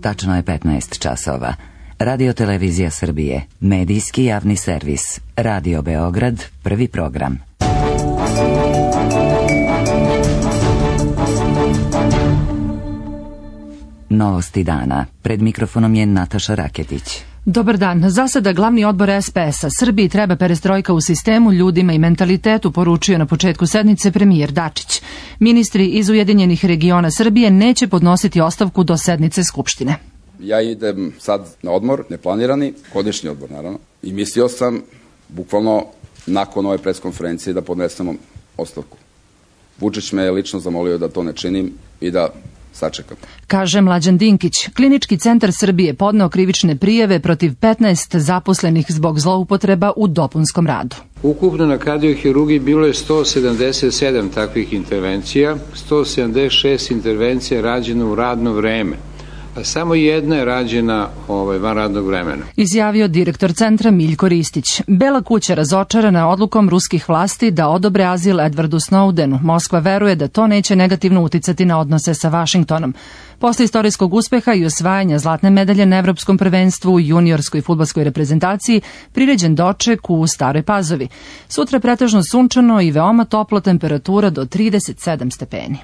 Tačno je 15 časova. Radio Televizija Srbije, medijski javni servis, Radio Beograd, prvi program. Novosti dana. Pred mikrofonom je Nataša Raketić. Dobar dan. Za sada glavni odbor SPS-a Srbiji treba perestrojka u sistemu, ljudima i mentalitetu, poručio na početku sednice premijer Dačić. Ministri iz Ujedinjenih regiona Srbije neće podnositi ostavku do sednice Skupštine. Ja idem sad na odmor, neplanirani, godišnji odmor naravno, i mislio sam bukvalno nakon ove preskonferencije da podnesemo ostavku. Vučić me je lično zamolio da to ne činim i da sačekam. Kaže Mlađan Dinkić. Klinički centar Srbije podneo krivične prijave protiv 15 zaposlenih zbog zloupotreba u dopunskom radu. Ukupno na kardiohirurgiji bilo je 177 takvih intervencija, 176 intervencija rađeno u radno vreme. A samo jedna je rađena van radnog vremena. Izjavio direktor centra Miljko Ristić. Bela kuća razočarana odlukom ruskih vlasti da odobre azil Edwardu Snowdenu. Moskva veruje da to neće negativno uticati na odnose sa Vašingtonom. Posle istorijskog uspeha i osvajanja zlatne medalje na Evropskom prvenstvu u juniorskoj fudbalskoj reprezentaciji priređen doček u Staroj Pazovi. Sutra pretežno sunčano i veoma toplo, temperatura do 37 stepeni.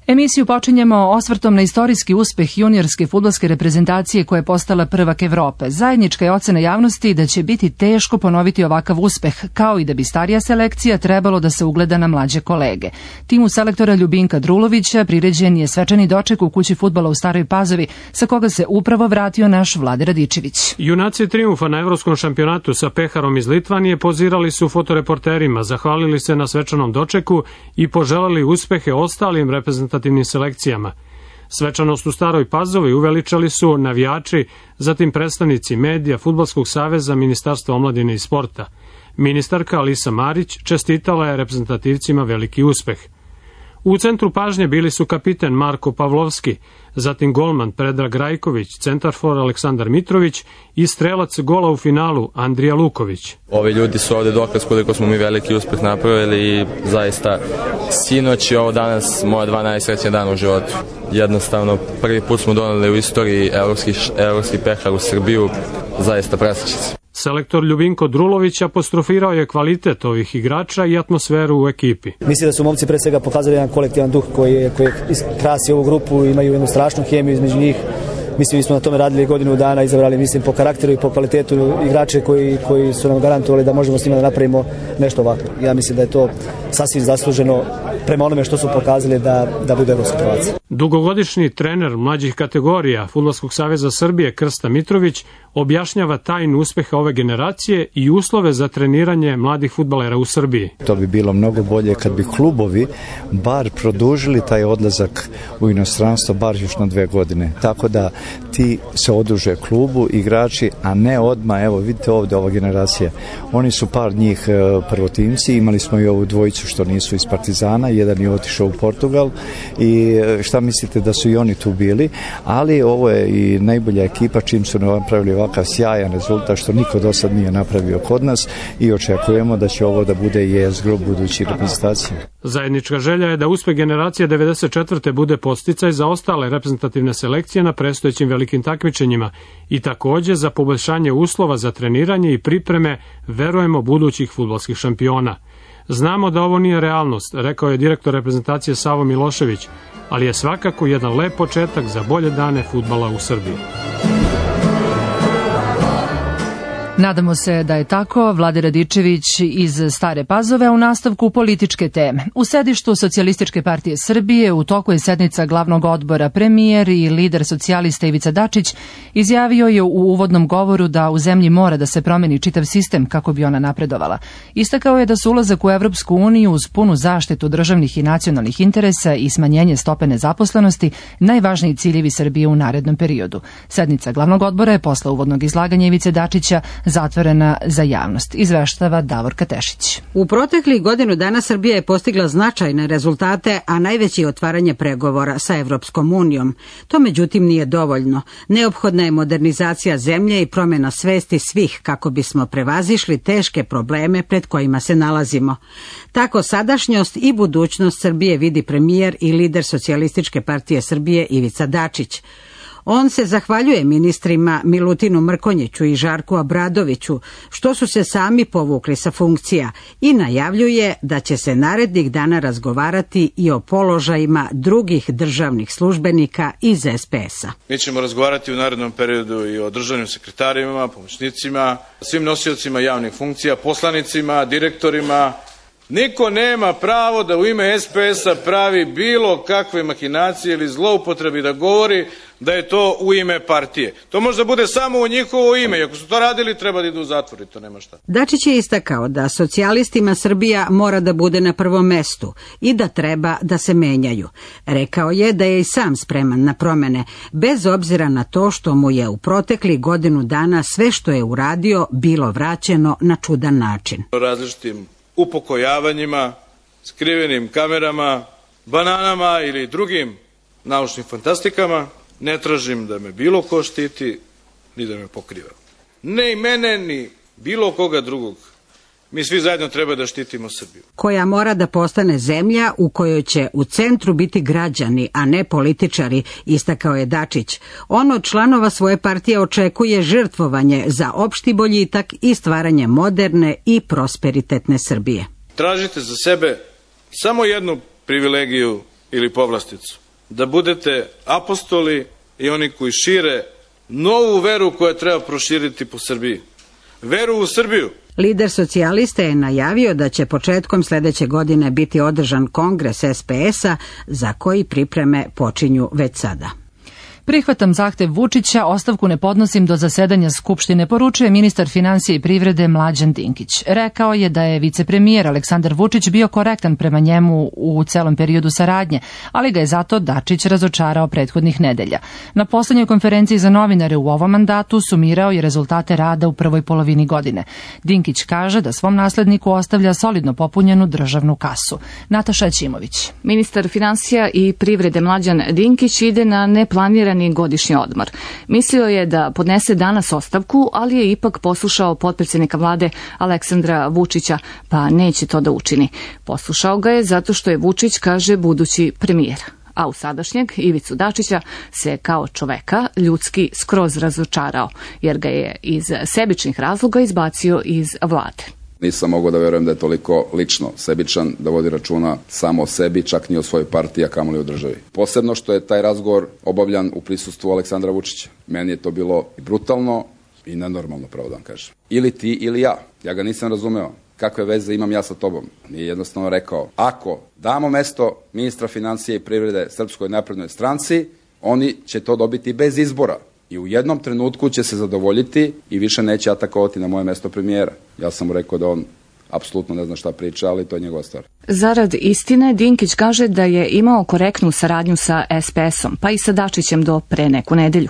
Emisiju počinjemo osvrtom na istorijski uspeh juniorske fudbalske reprezentacije koja je postala prvak Evrope. Zajednička je ocena javnosti da će biti teško ponoviti ovakav uspeh, kao i da bi starija selekcija trebalo da se ugleda na mlađe kolege. Timu selektora Ljubinka Drulovića priređen je svečani doček u kući fudbala u Staroj Pazovi, sa koga se upravo vratio naš Vlade Radičević. Junaci trijumfa na Evropskom šampionatu sa peharom iz Litvanije pozirali su fotoreporterima, zahvalili se na svečanom dočeku i poželeli uspehe ostalim reprezentativnim selekcijama. Svečanost u Staroj Pazovi uveličali su navijači, zatim predstavnici medija, Fudbalskog saveza, Ministarstva omladine i sporta. Ministarka Alisa Marić čestitala je reprezentativcima veliki uspeh. U centru pažnje bili su kapiten Marko Pavlovski, zatim golman Predrag Rajković, centarfor Aleksandar Mitrović i strelac gola u finalu Andrija Luković. Ovi ljudi su ovde dokaz koliko smo mi veliki uspeh napravili i zaista sinoć i ovo danas moja 2 najsrećnija dana u životu. Jednostavno prvi put smo doneli u istoriji evropski pehar u Srbiju, zaista presrećen sam. Selektor Ljubinko Drulović apostrofirao je kvalitet ovih igrača i atmosferu u ekipi. Mislim da su momci pre svega pokazali jedan kolektivan duh koji krasi ovu grupu, imaju jednu strašnu hemiju između njih. Mislim, mi smo na tome radili godinu dana, izabrali, mislim, po karakteru i po kvalitetu igrače koji su nam garantovali da možemo s njima da napravimo nešto ovako. Ja mislim da je to sasvim zasluženo prema onome što su pokazali da bude evropski prvaci. Dugogodišnji trener mlađih kategorija Fudbalskog saveza Srbije Krsta Mitrović objašnjava tajnu uspeha ove generacije i uslove za treniranje mladih fudbalera u Srbiji. To bi bilo mnogo bolje kad bi klubovi bar produžili taj odlazak u inostranstvo bar još na 2 godine. Tako da ti se oduže klubu, igrači, a ne odmah, evo vidite ovdje ova generacija. Oni su par njih prvotimci, imali smo i ovu dvojicu što nisu iz Partizana, jedan je otišao u Portugal i šta mislite da su i oni tu bili, ali ovo je i najbolja ekipa čim su napravili ovakav sjajan rezultat što niko do sad nije napravio kod nas i očekujemo da će ovo da bude jezgro budućih reprezentacija. Zajednička želja je da uspeh generacije 94. bude podsticaj za ostale reprezentativne selekcije na predstojećim velikim takmičenjima i takođe za poboljšanje uslova za treniranje i pripreme, verujemo, budućih fudbalskih šampiona. Znamo da ovo nije realnost, rekao je direktor reprezentacije Savo Milošević, ali je svakako jedan lep početak za bolje dane fudbala u Srbiji. Nadamo se da je tako. Vlade Radičević iz Stare Pazove, a u nastavku političke teme. U sedištu Socijalističke partije Srbije u toku je sednica glavnog odbora. Premijer i lider socijalista Ivica Dačić izjavio je u uvodnom govoru da u zemlji mora da se promeni čitav sistem kako bi ona napredovala. Istakao je da su ulazak u Evropsku uniju uz punu zaštitu državnih i nacionalnih interesa i smanjenje stope nezaposlenosti najvažniji ciljevi Srbije u narednom periodu. Sednica glavnog odbora je posle uvodnog izlaganja Ivice Dačića zatvorena za javnost, izveštava Davorka Tešić. U proteklih godinu dana Srbija je postigla značajne rezultate, a najveći je otvaranje pregovora sa Evropskom unijom. To međutim nije dovoljno. Neophodna je modernizacija zemlje i promjena svesti svih kako bismo prevazišli teške probleme pred kojima se nalazimo. Tako sadašnjost i budućnost Srbije vidi premijer i lider Socijalističke partije Srbije Ivica Dačić. On se zahvaljuje ministrima Milutinu Mrkonjiću i Žarku Obradoviću što su se sami povukli sa funkcija i najavljuje da će se narednih dana razgovarati i o položajima drugih državnih službenika iz SPS-a. Mi ćemo razgovarati u narednom periodu i o državnim sekretarima, pomoćnicima, svim nosiocima javnih funkcija, poslanicima, direktorima. Niko nema pravo da u ime SPS-a pravi bilo kakve mahinacije ili zloupotrebi, da govori da je to u ime partije. To može da bude samo u njihovo ime i ako su to radili treba da idu u zatvor i to nema šta. Dačić je istakao da socijalistima Srbija mora da bude na prvom mestu i da treba da se menjaju. Rekao je da je i sam spreman na promene, bez obzira na to što mu je u proteklih godinu dana sve što je uradio bilo vraćeno na čudan način. Različitim upokojavanjima, skrivenim kamerama, bananama ili drugim naučnim fantastikama, ne tražim da me bilo ko štiti, ni da me pokriva. Ne i mene, ni bilo koga drugog. Mi svi zajedno treba da štitimo Srbiju. Koja mora da postane zemlja u kojoj će u centru biti građani, a ne političari, istakao je Dačić. On od članova svoje partije očekuje žrtvovanje za opšti boljitak i stvaranje moderne i prosperitetne Srbije. Tražite za sebe samo jednu privilegiju ili povlasticu. Da budete apostoli i oni koji šire novu veru koja treba proširiti po Srbiji. Veru u Srbiju. Lider socijalista je najavio da će početkom sledeće godine biti održan kongres SPS-a za koji pripreme počinju već sada. Prihvatam zahtev Vučića, ostavku ne podnosim do zasedanja Skupštine, poručuje ministar finansija i privrede Mlađan Dinkić. Rekao je da je vicepremijer Aleksandar Vučić bio korektan prema njemu u celom periodu saradnje, ali ga je zato Dačić razočarao prethodnih nedelja. Na poslednjoj konferenciji za novinare u ovom mandatu sumirao je rezultate rada u prvoj polovini godine. Dinkić kaže da svom nasledniku ostavlja solidno popunjenu državnu kasu. Nataša Ćimović. Ministar finansija i privrede Mlađan Dinkić ide na neplanirani godišnji odmor. Mislio je da podnese danas ostavku, ali je ipak poslušao potpredsjednika vlade Aleksandra Vučića, pa neće to da učini. Poslušao ga je zato što je Vučić, kaže, budući premijer. A u sadašnjeg Ivicu Dačića se kao čoveka ljudski skroz razočarao, jer ga je iz sebičnih razloga izbacio iz vlade. Nisam mogao da verujem da je toliko lično sebičan, da vodi računa samo o sebi, čak ni o svojoj partiji, a kamoli o državi. Posebno što je taj razgovor obavljan u prisustvu Aleksandra Vučića. Meni je to bilo i brutalno i nenormalno, pravo da vam kažem. Ili ti ili ja. Ja ga nisam razumeo. Kakve veze imam ja sa tobom? Nije jednostavno rekao, ako damo mesto ministra financije i privrede Srpskoj naprednoj stranci, oni će to dobiti bez izbora. I u jednom trenutku će se zadovoljiti i više neće atakovati na moje mesto premijera. Ja sam mu rekao da on apsolutno ne zna šta priča, ali to je njegova stvar. Zarad istine, Dinkić kaže da je imao korektnu saradnju sa SPS-om, pa i sa Dačićem do pre neku nedelju.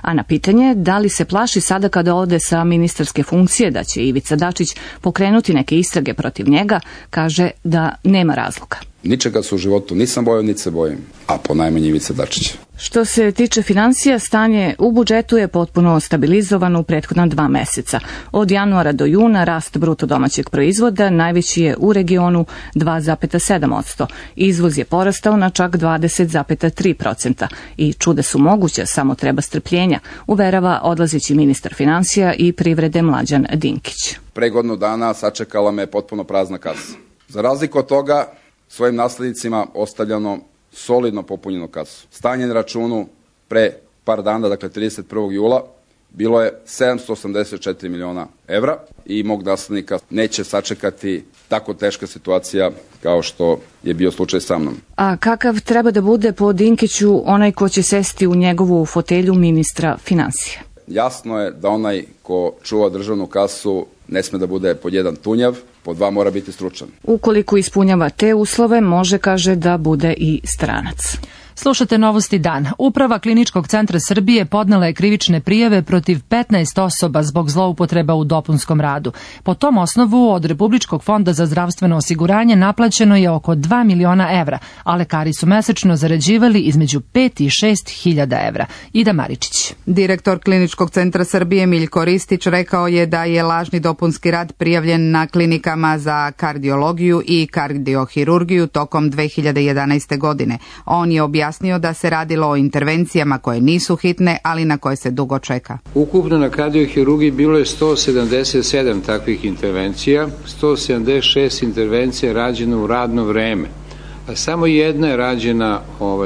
A na pitanje da li se plaši sada kada ode sa ministarske funkcije da će Ivica Dačić pokrenuti neke istrage protiv njega, kaže da nema razloga. Ničega se u životu nisam bojao, niti se bojim, a ponajmanje Ivica Dačića. Što se tiče finansija, stanje u budžetu je potpuno stabilizovano u prethodna 2 meseca. Od januara do juna rast bruto domaćeg proizvoda najveći je u regionu 2,7%. Izvoz je porastao na čak 20,3% i čuda su moguća, samo treba strpljenja, uverava odlazeći ministar finansija i privrede Mlađan Dinkić. Pre godinu dana sačekala me potpuno prazna kasa. Za razliku od toga, svojim naslednicima ostavljano solidno popunjenu kasu. Stanje na računu pre par dana, dakle 31. jula, bilo je 784 miliona evra i mog naslednika neće sačekati tako teška situacija kao što je bio slučaj sa mnom. A kakav treba da bude po Dinkiću onaj ko će sesti u njegovu fotelju ministra finansija? Jasno je da onaj ko čuva državnu kasu ne sme da bude pod 1 tunjav, pod 2 mora biti stručan. Ukoliko ispunjava te uslove, može, kaže, da bude i stranac. Slušate Novosti dan. Uprava Kliničkog centra Srbije podnela je krivične prijave protiv 15 osoba zbog zloupotreba u dopunskom radu. Po tom osnovu od Republičkog fonda za zdravstveno osiguranje naplaćeno je oko 2 miliona evra, a lekari su mesečno zarađivali između 5 i 6 hiljada evra. Ida Maričić. Direktor Kliničkog centra Srbije Miljko Ristić rekao je da je lažni dopunski rad prijavljen na klinikama za kardiologiju i kardiohirurgiju tokom 2011. godine. On je objasnio da se radilo o intervencijama koje nisu hitne, ali na koje se dugo čeka. Ukupno na kardiohirurgiji bilo je 177 takvih intervencija, 176 intervencija rađeno u radno vreme, a samo jedna je rađena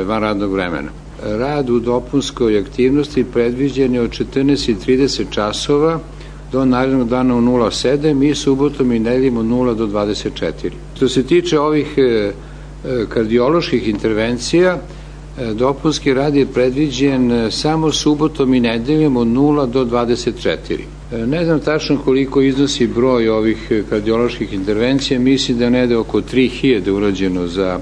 van radnog vremena. Rad u dopunskoj aktivnosti predviđen je od 14:30 časova do narednog dana u 07 i subotom i nedeljom od 0 do 24. Što se tiče ovih kardioloških intervencija, dopunski rad je predviđen samo subotom i nedeljom od 0 do 24. Ne znam tačno koliko iznosi broj ovih kardioloških intervencija, mislim da ne da oko 3000 urađeno za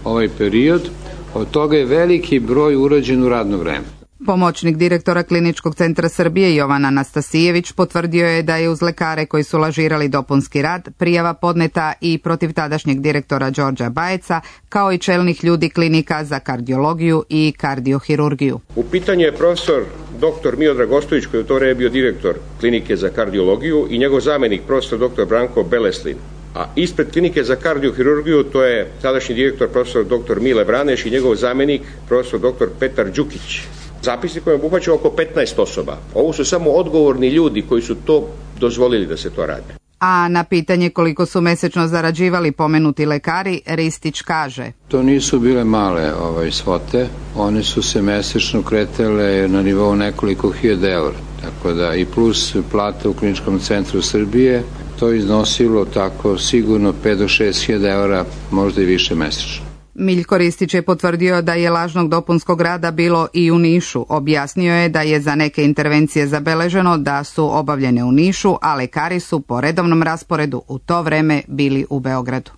ovaj period, od toga je veliki broj urađen u radno vreme. Pomoćnik direktora Kliničkog centra Srbije Jovan Anastasijević potvrdio je da je uz lekare koji su lažirali dopunski rad prijava podneta i protiv tadašnjeg direktora Đorđa Bajeca, kao i čelnih ljudi klinika za kardiologiju i kardiohirurgiju. U pitanju je profesor dr. Miodrag Ostojić, koji je u to vreme bio direktor klinike za kardiologiju, i njegov zamenik profesor dr. Branko Beleslin. A ispred klinike za kardiohirurgiju to je tadašnji direktor profesor dr. Mile Vraneš i njegov zamenik profesor dr. Petar Đukić. Zapisnikom je obuhvaćeno oko 15 osoba. Ovo su samo odgovorni ljudi koji su to dozvolili da se to radi. A na pitanje koliko su mesečno zarađivali pomenuti lekari, Ristić kaže: To nisu bile male svote, one su se mesečno kretale na nivou nekoliko hiljada evra, tako da i plus plata u Kliničkom centru Srbije, to iznosilo tako sigurno 5 do 6 hiljada evra, možda i više mesečno. Miljko Ristić je potvrdio da je lažnog dopunskog rada bilo i u Nišu. Objasnio je da je za neke intervencije zabeleženo da su obavljene u Nišu, a lekari su po redovnom rasporedu u to vreme bili u Beogradu.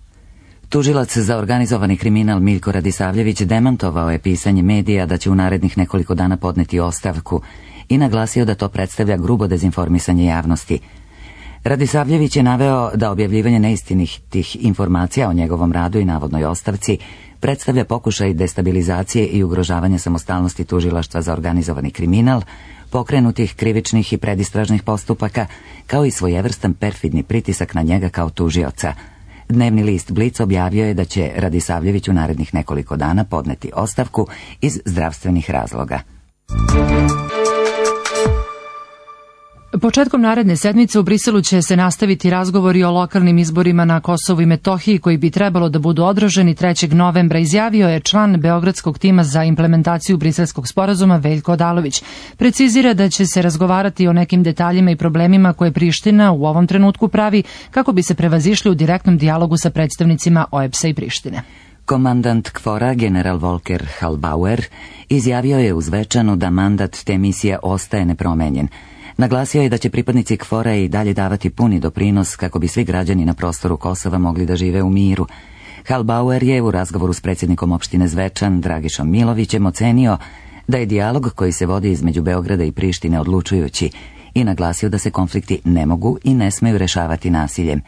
Tužilac za organizovani kriminal Miljko Radisavljević demantovao je pisanje medija da će u narednih nekoliko dana podneti ostavku i naglasio da to predstavlja grubo dezinformisanje javnosti. Radisavljević je naveo da objavljivanje neistinitih informacija o njegovom radu i navodnoj ostavci predstavlja pokušaj destabilizacije i ugrožavanja samostalnosti tužilaštva za organizovani kriminal, pokrenutih krivičnih i predistražnih postupaka, kao i svojevrstan perfidni pritisak na njega kao tužioca. Dnevni list Blic objavio je da će Radisavljević u narednih nekoliko dana podneti ostavku iz zdravstvenih razloga. Početkom naredne sedmice u Briselu će se nastaviti razgovori o lokalnim izborima na Kosovu i Metohiji koji bi trebalo da budu održani 3. novembra, izjavio je član Beogradskog tima za implementaciju Briselskog sporazuma Veljko Odalović. Precizira da će se razgovarati o nekim detaljima i problemima koje Priština u ovom trenutku pravi kako bi se prevazišli u direktnom dijalogu sa predstavnicima OEBS-a i Prištine. Komandant KFOR-a, general Volker Halbauer, izjavio je uz večanu da mandat te misije ostaje nepromenjen. Naglasio je da će pripadnici KFOR-a i dalje davati puni doprinos kako bi svi građani na prostoru Kosova mogli da žive u miru. Halbauer je u razgovoru s predsjednikom opštine Zvečan, Dragišom Milovićem, ocenio da je dijalog koji se vodi između Beograda i Prištine odlučujući i naglasio da se konflikti ne mogu i ne smeju rešavati nasiljem.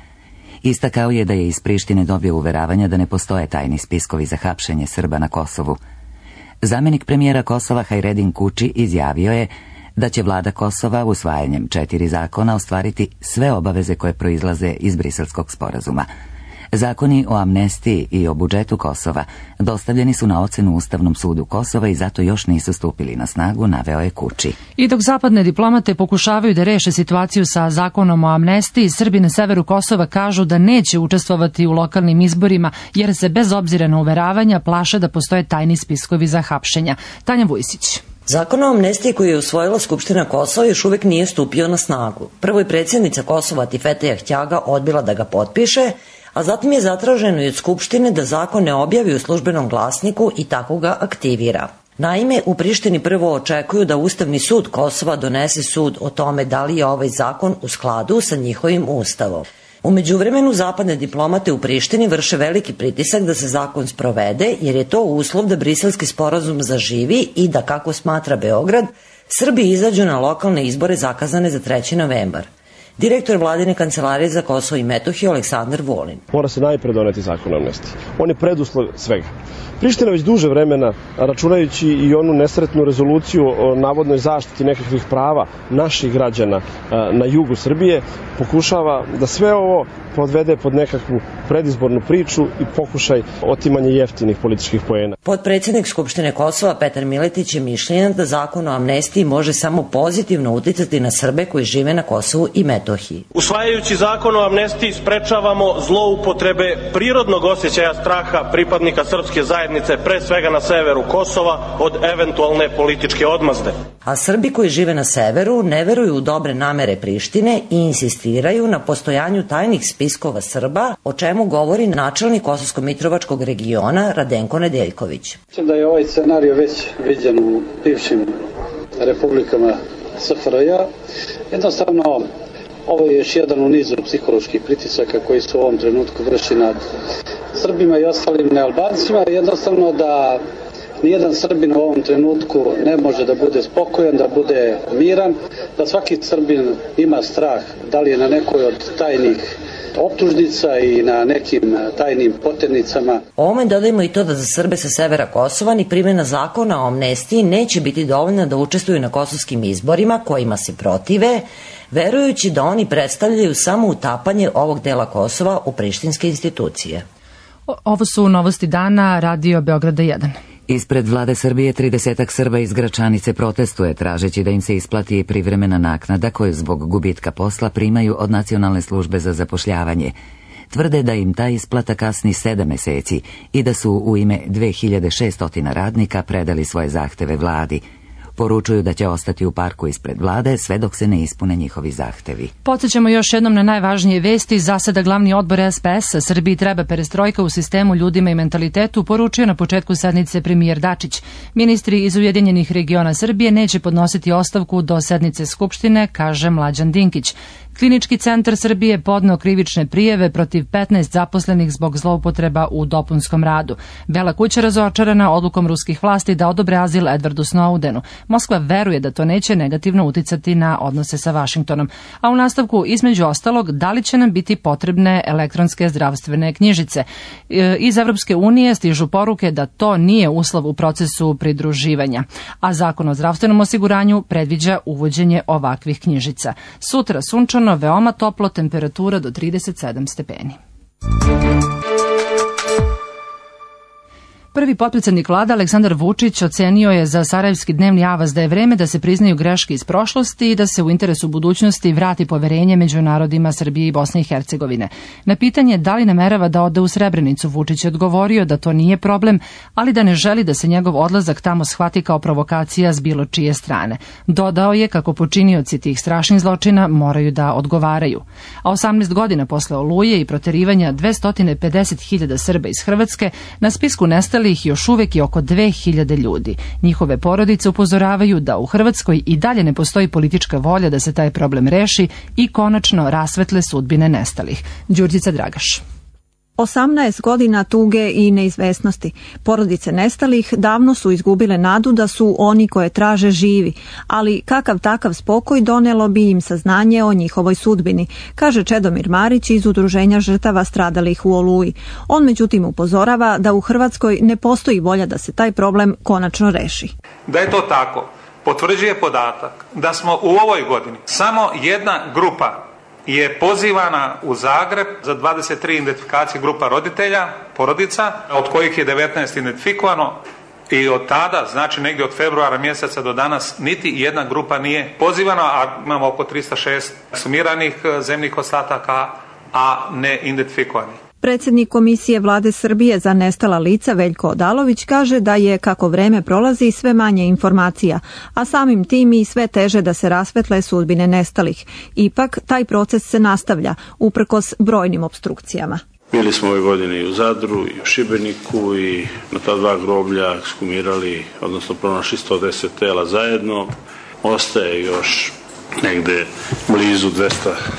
Istakao je da je iz Prištine dobio uveravanja da ne postoje tajni spiskovi za hapšenje Srba na Kosovu. Zamenik premijera Kosova Hajredin Kuči izjavio je da će vlada Kosova usvajanjem 4 zakona ostvariti sve obaveze koje proizlaze iz Briselskog sporazuma. Zakoni o amnestiji i o budžetu Kosova dostavljeni su na ocenu Ustavnom sudu Kosova i zato još nisu stupili na snagu, naveo je Kuči. I dok zapadne diplomate pokušavaju da reše situaciju sa zakonom o amnestiji, Srbi na severu Kosova kažu da neće učestvovati u lokalnim izborima jer se bez obzira na uveravanja plaše da postoje tajni spiskovi za hapšenja. Tanja Vujsić. Zakon o amnestiji koji je usvojila Skupština Kosova još uvek nije stupio na snagu. Prvo je predsjednica Kosova Tifeteja Htjaga odbila da ga potpiše, a zatim je zatraženo i od Skupštine da zakon ne objavi u službenom glasniku i tako ga aktivira. Naime, u Prištini prvo očekuju da Ustavni sud Kosova donese sud o tome da li je ovaj zakon u skladu sa njihovim ustavom. U međuvremenu zapadne diplomate u Prištini vrše veliki pritisak da se zakon sprovede, jer je to uslov da briselski sporazum zaživi i da, kako smatra Beograd, Srbi izađu na lokalne izbore zakazane za 3. novembar. Direktor vladine kancelarije za Kosovo i Metohiju Aleksandar Vulin. Mora se najpre doneti zakon o amnestiji. On je preduslov svega. Priština već duže vremena, računajući i onu nesretnu rezoluciju o navodnoj zaštiti nekakvih prava naših građana na jugu Srbije, pokušava da sve ovo podvede pod nekakvu predizbornu priču i pokušaj otimanja jeftinih političkih poena. Potpredsjednik Skupštine Kosova Petar Miletić je mišljenja da zakon o amnestiji može samo pozitivno uticati na Srbe koji žive na Kosovu i Metohiji. Usvajajući zakon o amnestiji sprečavamo zloupotrebe prirodnog osjećaja straha pripadnika srpske zajednice, pre svega na severu Kosova, od eventualne političke odmazde. A Srbi koji žive na severu ne veruju u dobre namere Prištine i insistiraju na postojanju tajnih spiskova Srba, o čemu govori načelnik Kosovsko-Mitrovačkog regiona Radenko Nedeljković. Mislim da je ovaj scenario već viđen u bivšim republikama SFRJ. Jednostavno, ovo je još jedan u nizu psiholoških pritisaka koji se u ovom trenutku vrši nad Srbima i ostalim nealbancima. Jednostavno da nijedan Srbin u ovom trenutku ne može da bude spokojan, da bude miran, da svaki Srbin ima strah, da li je na nekoj od tajnih optužnica i na nekim tajnim poternicama. Ovome dodajmo i to da za Srbe sa severa Kosova ni primjena zakona o amnestiji neće biti dovoljna da učestvuju na kosovskim izborima kojima se protive, verujući da oni predstavljaju samo utapanje ovog dela Kosova u prištinske institucije. Ovo su novosti dana, Radio Beograda 1. Ispred vlade Srbije 30 Srba iz Gračanice protestuje tražeći da im se isplati privremena naknada koju zbog gubitka posla primaju od Nacionalne službe za zapošljavanje. Tvrde da im ta isplata kasni 7 meseci i da su u ime 2600 radnika predali svoje zahteve vladi. Poručuju da će ostati u parku ispred vlade sve dok se ne ispune njihovi zahtevi. Podsjećamo još jednom na najvažnije vesti. Za sada glavni odbor SPS-a Srbiji treba perestrojka u sistemu, ljudima i mentalitetu, poručio na početku sednice premijer Dačić. Ministri iz Ujedinjenih regiona Srbije neće podnositi ostavku do sednice Skupštine, kaže Mlađan Dinkić. Klinički centar Srbije podneo krivične prijave protiv 15 zaposlenih zbog zloupotreba u dopunskom radu. Bela kuća razočarana odlukom ruskih vlasti da odobre azil Edwardu Snowdenu. Moskva veruje da to neće negativno uticati na odnose sa Vašingtonom. A u nastavku, između ostalog, da li će nam biti potrebne elektronske zdravstvene knjižice. Iz Evropske unije stižu poruke da to nije uslov u procesu pridruživanja, a zakon o zdravstvenom osiguranju predviđa uvođenje ovakvih knjižica. Sutra sunčano, veoma toplo, temperatura do 37 stepeni. Prvi potpredsjednik vlade Aleksandar Vučić ocenio je za Sarajevski dnevni avaz da je vreme da se priznaju greške iz prošlosti i da se u interesu budućnosti vrati poverenje među narodima Srbije i Bosne i Hercegovine. Na pitanje da li namerava da ode u Srebrenicu, Vučić je odgovorio da to nije problem, ali da ne želi da se njegov odlazak tamo shvati kao provokacija s bilo čije strane. Dodao je kako počinioci tih strašnih zločina moraju da odgovaraju. A 18 godina posle Oluje i proterivanja 250.000 Srba iz Hrvatske, na spisku nestali ih još uvek je oko 2000 ljudi. Njihove porodice upozoravaju da u Hrvatskoj i dalje ne postoji politička volja da se taj problem reši i konačno rasvetle sudbine nestalih. Đurđica Dragaš. 18 godina tuge i neizvesnosti. Porodice nestalih davno su izgubile nadu da su oni koje traže živi, ali kakav takav spokoj donelo bi im saznanje o njihovoj sudbini, kaže Čedomir Marić iz Udruženja žrtava stradalih u Oluji. On međutim upozorava da u Hrvatskoj ne postoji volja da se taj problem konačno reši. Da je to tako, potvrđuje podatak da smo u ovoj godini samo jedna grupa je pozivana u Zagreb za 23 identifikacije grupa roditelja, porodica, od kojih je 19 identifikovano i od tada, znači negdje od februara mjeseca do danas, niti jedna grupa nije pozivana, a imamo oko 306 sumiranih zemnih ostataka, a ne identifikovanih. Predsjednik Komisije Vlade Srbije za nestala lica Veljko Odalović kaže da je, kako vreme prolazi, sve manje informacija, a samim tim i sve teže da se rasvetle sudbine nestalih. Ipak, taj proces se nastavlja, uprkos brojnim opstrukcijama. Bili smo ove godine i u Zadru, i u Šibeniku, i na ta dva groblja ekshumirali, odnosno pronašli 110 tela zajedno. Ostaje još negde blizu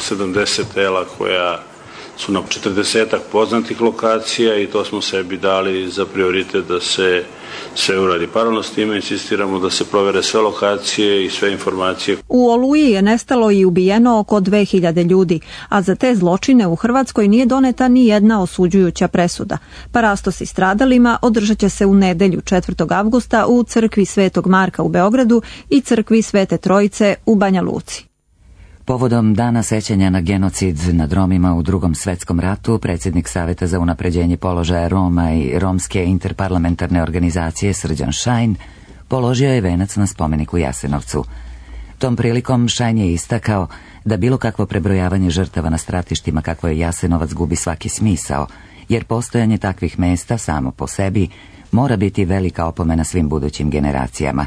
270 tela koja su na 40 poznatih lokacija i to smo sebi dali za prioritet da se sve uradi. Paralelno s time insistiramo da se provere sve lokacije i sve informacije. U Oluji je nestalo i ubijeno oko 2000 ljudi, a za te zločine u Hrvatskoj nije doneta ni jedna osuđujuća presuda. Parastosi stradalima održat će se u nedelju 4. avgusta u crkvi Svetog Marka u Beogradu i crkvi Svete Trojice u Banja Luci. Povodom dana sećanja na genocid nad Romima u Drugom svetskom ratu, predsjednik Saveta za unapređenje položaja Roma i Romske interparlamentarne organizacije Srđan Šajn položio je venac na spomenik u Jasenovcu. Tom prilikom Šajn je istakao da bilo kakvo prebrojavanje žrtava na stratištima kakvo je Jasenovac gubi svaki smisao, jer postojanje takvih mesta samo po sebi mora biti velika opomena svim budućim generacijama.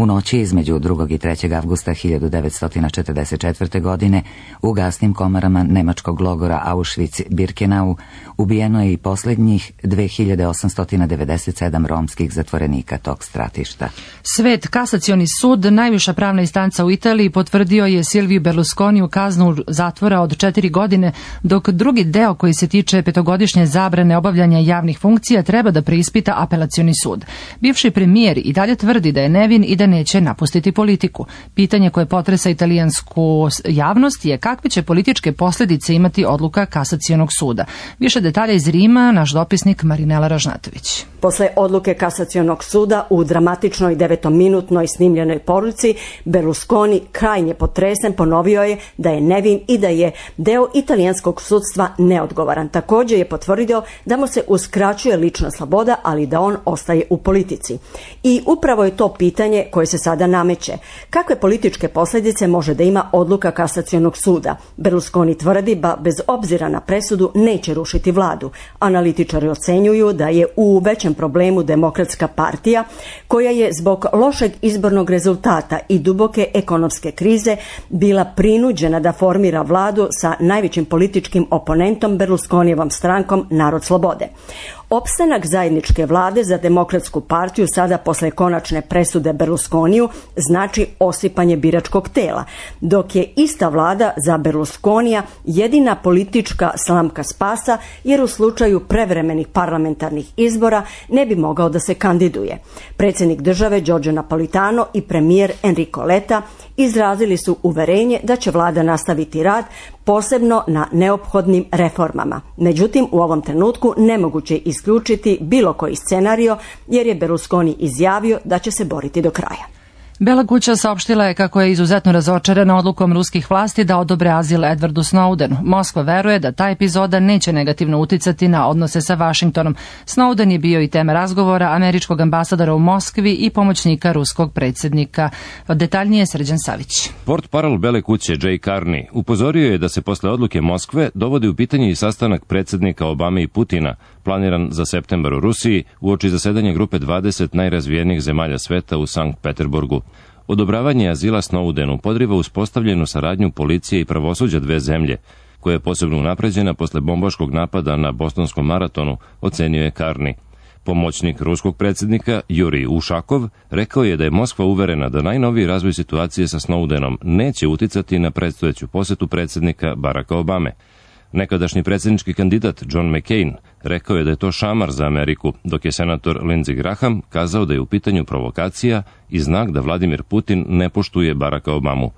U noći između 2. i 3. avgusta 1944. godine u gasnim komarama nemačkog logora Auschwitz-Birkenau ubijeno je i posljednjih 2897 romskih zatvorenika tog stratišta. Svet kasacioni sud, najviša pravna instanca u Italiji, potvrdio je Silviju Berlusconiju kaznu zatvora od 4 godine, dok drugi deo koji se tiče 5-godišnje zabrane obavljanja javnih funkcija treba da preispita apelacioni sud. Bivši premijer i dalje tvrdi da je nevin i da neće napustiti politiku. Pitanje koje potresa italijansku javnost je kakve će političke posljedice imati odluka kasacionog suda. Više detalja iz Rima, naš dopisnik Marinela Ražnatović. Posle odluke kasacionog suda u dramatičnoj 9-minutnoj snimljenoj poruci, Berlusconi krajnje potresen ponovio je da je nevin i da je deo italijanskog sudstva neodgovoran. Također je potvrdio da mu se uskraćuje lična sloboda, ali da on ostaje u politici. I upravo je to pitanje koje se sada nameće. Kakve političke posljedice može da ima odluka kasacionog suda? Berlusconi tvrdi da bez obzira na presudu neće rušiti vladu. Analitičari ocenjuju da je u većem problemu Demokratska partija, koja je zbog lošeg izbornog rezultata i duboke ekonomske krize bila prinuđena da formira vladu sa najvećim političkim oponentom Berlusconijevom strankom Narod slobode. Opstanak zajedničke vlade za Demokratsku partiju sada posle konačne presude Berlusconiju znači osipanje biračkog tela, dok je ista vlada za Berlusconija jedina politička slamka spasa, jer u slučaju prevremenih parlamentarnih izbora ne bi mogao da se kandiduje. Predsjednik države Giorgio Napolitano i premijer Enrico Letta izrazili su uverenje da će vlada nastaviti rad, posebno na neophodnim reformama. Međutim, u ovom trenutku nemoguće je isključiti bilo koji scenario, jer je Berlusconi izjavio da će se boriti do kraja. Bela kuća saopštila je kako je izuzetno razočarana odlukom ruskih vlasti da odobre azil Edwardu Snowdenu. Moskva veruje da ta epizoda neće negativno uticati na odnose sa Vašingtonom. Snowden je bio i tema razgovora američkog ambasadora u Moskvi i pomoćnika ruskog predsjednika. Detaljnije Srđan Savić. Portparol Bele kuće Jay Carney upozorio je da se posle odluke Moskve dovodi u pitanje i sastanak predsjednika Obame i Putina, planiran za septembar u Rusiji, uoči zasedanja grupe 20 najrazvijenijih zemalja sveta u Sankt Peterburgu. Odobravanje azila Snowdenu podriva uspostavljenu saradnju policije i pravosuđa dve zemlje, koja je posebno unapređena posle bombaškog napada na bostonskom maratonu, ocenio je Carney. Pomoćnik ruskog predsjednika Jurij Ušakov rekao je da je Moskva uverena da najnoviji razvoj situacije sa Snowdenom neće uticati na predstojeću posetu predsjednika Baracka Obame. Nekadašnji predsjednički kandidat John McCain rekao je da je to šamar za Ameriku, dok je senator Lindsey Graham kazao da je u pitanju provokacija i znak da Vladimir Putin ne poštuje Baracka Obamu.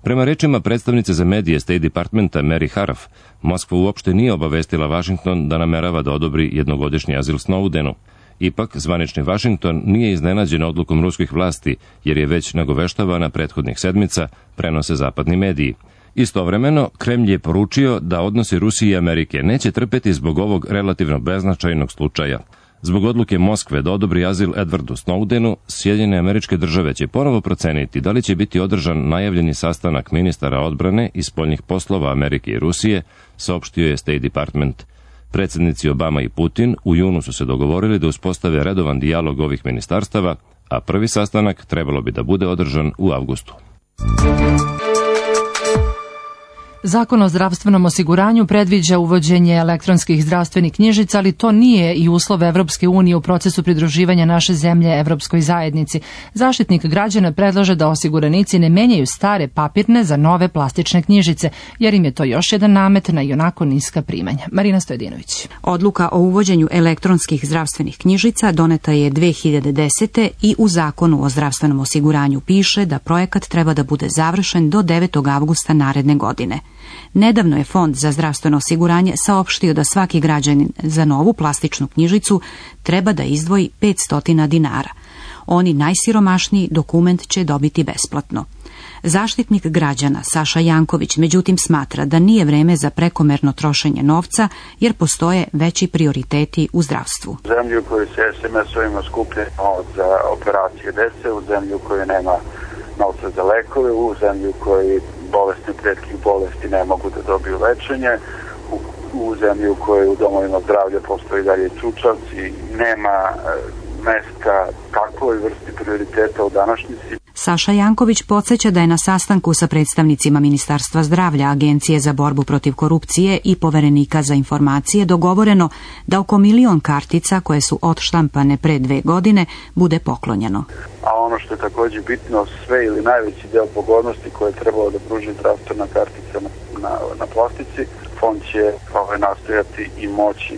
Prema rečima predstavnice za medije State Departmenta Mary Harf, Moskva uopšte nije obavestila Washington da namerava da odobri jednogodišnji azil Snowdenu. Ipak, zvanični Washington nije iznenađen odlukom ruskih vlasti, jer je već nagoveštavana prethodnih sedmica, prenose zapadni mediji. Istovremeno, Kremlj je poručio da odnosi Rusije i Amerike neće trpeti zbog ovog relativno beznačajnog slučaja. Zbog odluke Moskve da odobri azil Edwardu Snowdenu, Sjedinjene Američke Države će ponovo proceniti da li će biti održan najavljeni sastanak ministara odbrane i spoljnih poslova Amerike i Rusije, saopštio je State Department. Predsjednici Obama i Putin u junu su se dogovorili da uspostave redovan dijalog ovih ministarstava, a prvi sastanak trebalo bi da bude održan u avgustu. Zakon o zdravstvenom osiguranju predviđa uvođenje elektronskih zdravstvenih knjižica, ali to nije i uslov Evropske unije u procesu pridruživanja naše zemlje Evropskoj zajednici. Zaštitnik građana predlaže da osiguranici ne menjaju stare papirne za nove plastične knjižice, jer im je to još jedan namet na ionako niska primanja. Marina Stojedinović. Odluka o uvođenju elektronskih zdravstvenih knjižica doneta je 2010. i u Zakonu o zdravstvenom osiguranju piše da projekat treba da bude završen do 9. avgusta naredne godine. Nedavno je Fond za zdravstveno osiguranje saopštio da svaki građanin za novu plastičnu knjižicu treba da izdvoji 500 dinara. Oni najsiromašniji dokument će dobiti besplatno. Zaštitnik građana Saša Janković međutim smatra da nije vreme za prekomerno trošenje novca jer postoje veći prioriteti u zdravstvu. U zemlji u kojoj se SMS-ovima skuplja novac za operacije dece, u zemlji u kojoj nema novca za lekove, u zemlji u kojoj bolesni od retkih bolesti ne mogu da dobiju lečenje, u zemlji u kojoj u domovima zdravlja postoji dalje čučavci, nema mesta kakvoj vrsti prioriteta u današnjici. Saša Janković podsjeća da je na sastanku sa predstavnicima Ministarstva zdravlja, Agencije za borbu protiv korupcije i Poverenika za informacije dogovoreno da oko 1 milion kartica koje su odštampane pre 2 godine bude poklonjeno. A ono što je također bitno, sve ili najveći deo pogodnosti koje je trebalo da pruži zdravstvena kartica na plastici, fond će nastojati i moći,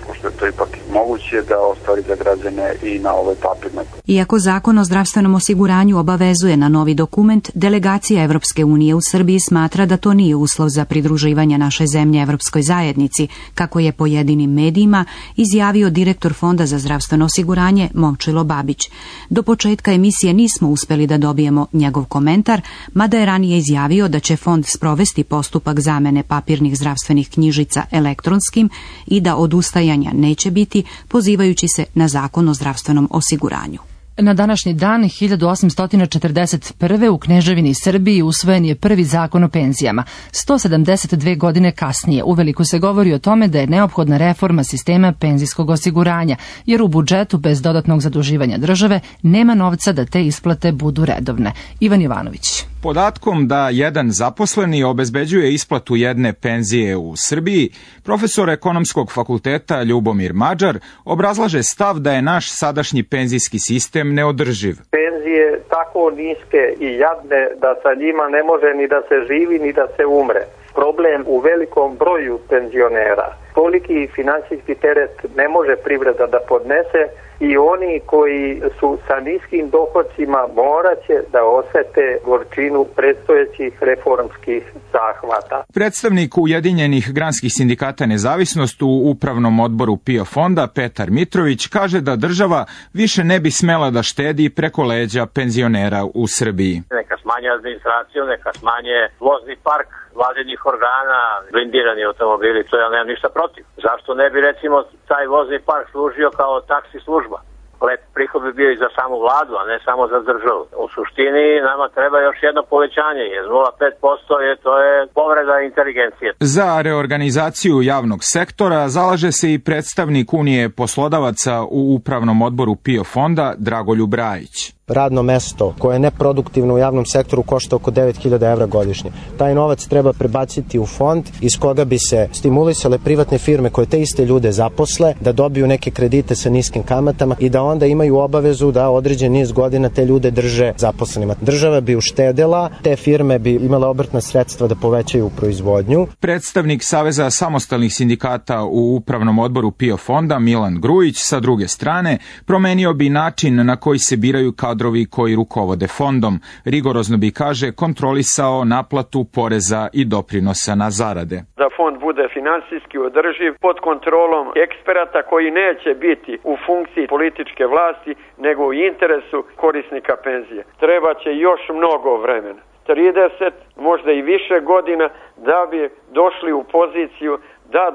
pošto je to ipak moguće, da ostvari za građane i na ovoj papirnoj. Iako Zakon o zdravstvenom osiguranju obavezuje na novi dokument, delegacija Evropske unije u Srbiji smatra da to nije uslov za pridruživanje naše zemlje Evropskoj zajednici, kako je pojedinim medijima izjavio direktor Fonda za zdravstveno osiguranje Momčilo Babić. Do početka emisije nismo uspeli da dobijemo njegov komentar, mada je ranije izjavio da će fond sprovesti postupak zamene papirnih zdravstvenih knjižica elektronskim i da odustajanja neće biti, pozivajući se na Zakon o zdravstvenom osiguranju. Na današnji dan 1841. u Kneževini Srbiji usvojen je prvi zakon o penzijama. 172 godine kasnije uveliko se govori o tome da je neophodna reforma sistema penzijskog osiguranja, jer u budžetu bez dodatnog zaduživanja države nema novca da te isplate budu redovne. Ivan Jovanović. Podatkom da jedan zaposleni obezbeđuje isplatu jedne penzije u Srbiji, profesor ekonomskog fakulteta Ljubomir Mađar obrazlaže stav da je naš sadašnji penzijski sistem neodrživ. Penzije tako niske i jadne da sa njima ne može ni da se živi ni da se umre. Problem u velikom broju penzionera. Toliki finansijski teret ne može privreda da podnese i oni koji su sa niskim dohodcima moraće da osete gorčinu predstojećih reformskih zahvata. Predstavnik Ujedinjenih granskih sindikata Nezavisnost u upravnom odboru PIO fonda Petar Mitrović kaže da država više ne bi smela da štedi preko leđa penzionera u Srbiji. Neka smanje administraciju, neka smanje vozni park vladinih organa, blindirani automobili, to ja nemam ništa protiv. Zašto ne bi recimo taj vozni park služio kao taksi služba? Lep prihod bi bio i za samu vladu, a ne samo za državu. U suštini nama treba još jedno povećanje, jer 0,5% to je povreda inteligencije. Za reorganizaciju javnog sektora zalaže se i predstavnik Unije poslodavaca u upravnom odboru PIO fonda Dragoljub Rajić. Radno mesto koje je neproduktivno u javnom sektoru košta oko 9.000 evra godišnje. Taj novac treba prebaciti u fond iz koga bi se stimulisale privatne firme koje te iste ljude zaposle, da dobiju neke kredite sa niskim kamatama i da onda imaju obavezu da određen niz godina te ljude drže zaposlenima. Država bi uštedela, te firme bi imale obrtna sredstva da povećaju proizvodnju. Predstavnik Saveza samostalnih sindikata u upravnom odboru PIO fonda Milan Grujić sa druge strane promenio bi način na koji se biraju kadrovi koji rukovode fondom. Rigorozno bi, kaže, kontrolisao naplatu poreza i doprinosa na zarade. Da fond bude finansijski održiv pod kontrolom eksperata koji neće biti u funkciji političke vlasti nego u interesu korisnika penzije. Treba će još mnogo vremena. 30, možda i više godina da bi došli u poziciju da 2,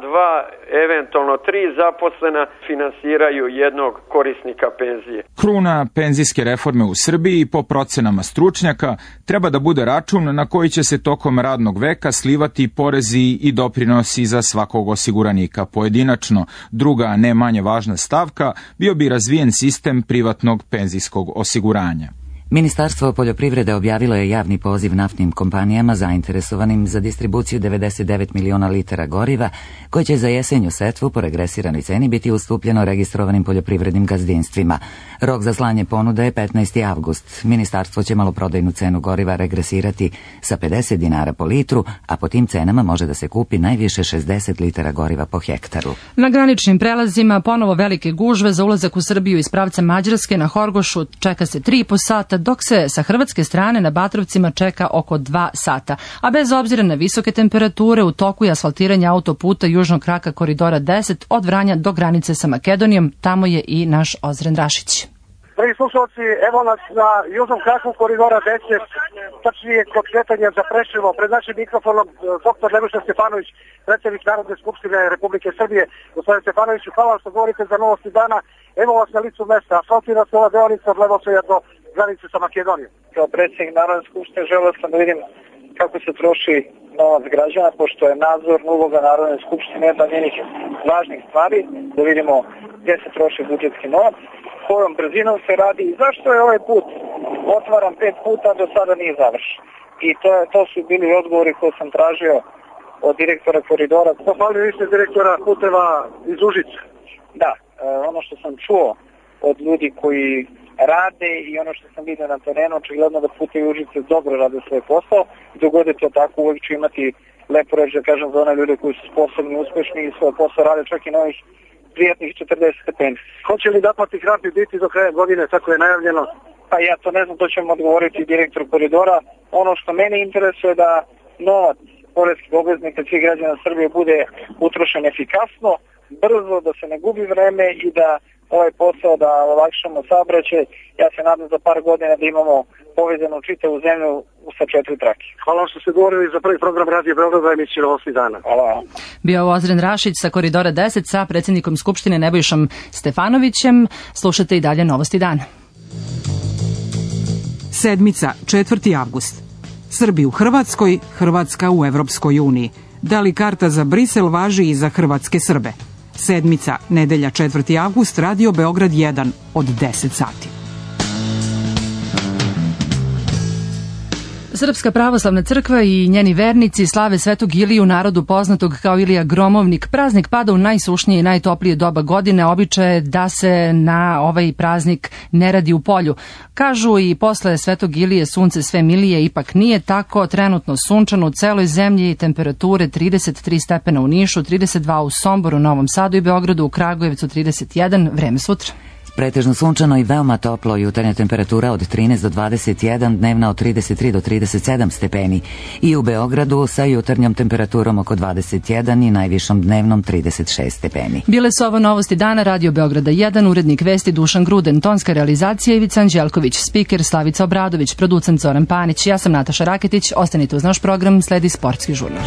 eventualno 3 zaposlena finansiraju jednog korisnika penzije. Kruna penzijske reforme u Srbiji, po procenama stručnjaka, treba da bude račun na koji će se tokom radnog veka slivati porezi i doprinosi za svakog osiguranika pojedinačno. Druga, ne manje važna stavka, bio bi razvijen sistem privatnog penzijskog osiguranja. Ministarstvo poljoprivrede objavilo je javni poziv naftnim kompanijama zainteresovanim za distribuciju 99 miliona litara goriva, koje će za jesenju setvu po regresiranoj ceni biti ustupljeno registrovanim poljoprivrednim gazdinstvima. Rok za slanje ponude je 15. avgust. Ministarstvo će maloprodajnu cenu goriva regresirati sa 50 dinara po litru, a po tim cenama može da se kupi najviše 60 litara goriva po hektaru. Na graničnim prelazima ponovo velike gužve za ulazak u Srbiju iz pravca Mađarske. Na Horgošu čeka se 3,5 sata, dok se sa hrvatske strane na Batrovcima čeka oko 2 sata. A bez obzira na visoke temperature, u toku je asfaltiranje autoputa južnog kraka koridora 10 od Vranja do granice sa Makedonijom. Tamo je i naš Ozren Rašić. Dragi slušalci, evo nas na južnom kraku koridora 10, tačnije kod kretanja za Preševo. Pred našim mikrofonom dr. Nebojša Stefanović, predsjednik Narodne skupštine Republike Srbije. Gospodine Stefanoviću, hvala što govorite za novosti dana. Evo vas na licu mesta. Asfaltira se ova deonica od Levosoja do granice sa Makedonijom. Kao predsjednik Narodne skupštine želeo sam da vidim kako se troši novac građana, pošto je nadzorna uloga Narodne skupštine jedna od njenih važnih stvari, da vidimo gdje se troši budžetski novac, kojom brzinom se radi i zašto je ovaj put otvaran 5 puta, do sada nije završen. I to su bili odgovori koje sam tražio od direktora koridora. Pohvalili vi ste direktora puteva iz Užica? Da, ono što sam čuo od ljudi koji rade i ono što sam vidio na terenu, očigledno da putevi Užice dobro rade svoj posao. Dogode to tako, uvijek ću imati lepo reći da kažem za one ljude koji su sposobni, uspešni i svoj posao rade čak i na ovih prijatnih 40 stepeni. Hoće li naplatni hrapi biti do kraja godine, tako je najavljeno? Pa ja to ne znam, to ćemo odgovoriti direktor koridora. Ono što mene interesuje da novac poreskih obveznika svih građana Srbije bude utrošen efikasno, brzo, da se ne gubi vreme i da ovaj posao da olakšamo saobraćaj. Ja se nadam za par godina da imamo povezanu čitavu zemlju sa 4 trake. Hvala vam što ste govorili za prvi program Radio Beograda i emisiju Novosti dana. Hvala. Bio Ozren Rašić sa koridora 10 sa predsjednikom Skupštine Nebojšom Stefanovićem. Slušate i dalje Novosti dana. Sedmica, 4. avgust. Srbi u Hrvatskoj, Hrvatska u Evropskoj uniji. Da li karta za Brisel važi i za hrvatske Srbe? Sedmica, nedelja 4. avgust, Radio Beograd 1 od 10 sati. Srpska pravoslavna crkva i njeni vernici slave Svetog Iliju, narodu poznatog kao Ilija Gromovnik. Praznik pada u najsušnije i najtoplije doba godine, običaj je da se na ovaj praznik ne radi u polju. Kažu i posle Svetog Ilije sunce sve milije, ipak nije tako. Trenutno sunčano u celoj zemlji i temperature 33 stepena u Nišu, 32 u Somboru, Novom Sadu i Beogradu, u Kragujevcu 31, vreme sutra. Pretežno sunčano i veoma toplo, jutarnja temperatura od 13 do 21, dnevna od 33 do 37 stepeni. I u Beogradu sa jutarnjom temperaturom oko 21 i najvišom dnevnom 36 stepeni. Bile su ovo Novosti dana, Radio Beograda 1, urednik vesti Dušan Gruden, tonska realizacija Ivica Anđelković, spiker Slavica Obradović, producent Zoran Panić. Ja sam Nataša Raketić, ostanite uz naš program, sledi sportski žurnal.